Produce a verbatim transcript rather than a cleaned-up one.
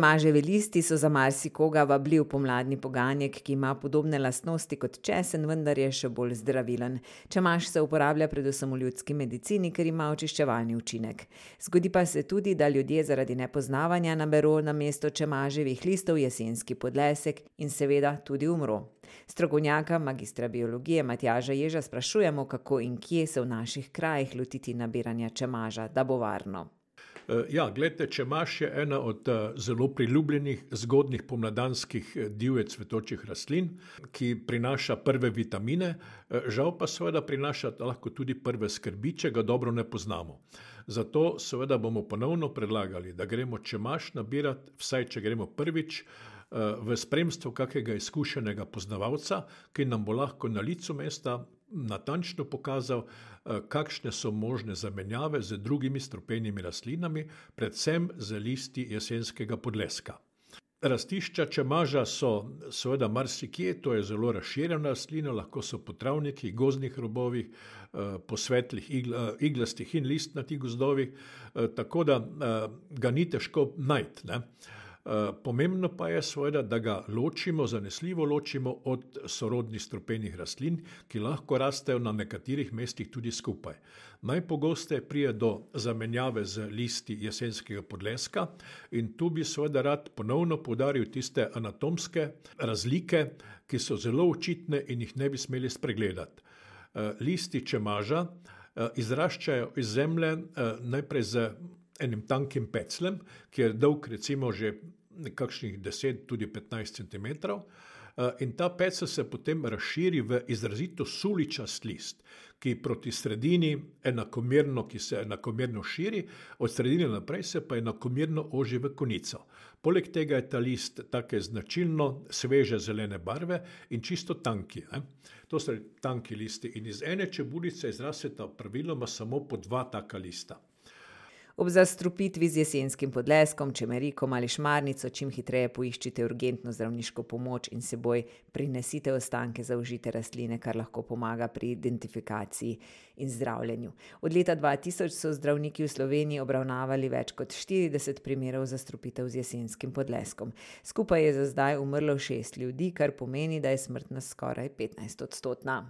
Čemaževi listi so za marsikoga vabljiv pomladni poganjek, ki ima podobne lastnosti kot česen, vendar je še bolj zdravilen. Čemaž se uporablja predvsem v ljudski medicini, ker ima očiščevalni učinek. Zgodi pa se tudi, da ljudje zaradi nepoznavanja naberu namesto čemaževih listov jesenski podlesek in seveda tudi umro. Strokovnjaka, magistra biologije Matjaža Ježa sprašujemo, kako in kje se v naših krajih lotiti nabiranja čemaža, da bo varno. Ja, glejte, čemaž je ena od zelo priljubljenih zgodnjih pomladanskih divje cvetočih rastlin, ki prinaša prve vitamine, žal pa seveda prinaša lahko tudi prve skrbi, če ga dobro ne poznamo. Zato seveda bomo ponovno predlagali, da gremo čemaž nabirati, vsaj če gremo prvič, v spremstvu kakega izkušenega poznavalca, ki nam bo lahko na licu mesta natančno pokazal, kakšne so možne zamenjave z drugimi strupenimi rastlinami, predvsem z listi jesenskega podleska. Rastišča čemaža so seveda marsikje, to je zelo razširjena rastlina, lahko so po travnikih, gozdnih robovih, po svetlih iglastih in listnatih gozdovih, tako da ga ni težko najti, ne. Pomembno pa je seveda, da ga ločimo, zanesljivo ločimo od sorodnih strupenih rastlin, ki lahko rastejo na nekaterih mestih tudi skupaj. Najpogosteje pride do zamenjave z listi jesenskega podleska in tu bi seveda rad ponovno poudaril tiste anatomske razlike, ki so zelo očitne in jih ne bi smeli spregledati. Listi čemaža izraščajo iz zemlje najprej z enim tankim pecljem, ki je dolg recimo že kakšnih deset, tudi petnajst centimetrov, in ta pecel se potem razširi v izrazito suličast list, ki proti sredini enakomerno, ki se enakomerno širi, od sredine naprej se pa enakomerno oži v konico. Poleg tega je ta list take značilno sveže zelene barve in čisto tanki, ne. To so tanki listi in iz ene čebulice izrasteta praviloma samo po dva taka lista. Ob zastrupitvi z jesenskim podleskom, čemerikom ali šmarnico čim hitreje poiščite urgentno zdravniško pomoč in s seboj prinesite ostanke zaužite rastline, kar lahko pomaga pri identifikaciji in zdravljenju. Od leta dva tisoč so zdravniki v Sloveniji obravnavali več kot štirideset primerov zastrupitev z jesenskim podleskom. Skupaj je za zdaj umrlo šest ljudi, kar pomeni, da je smrtnost skoraj petnajst odstotna.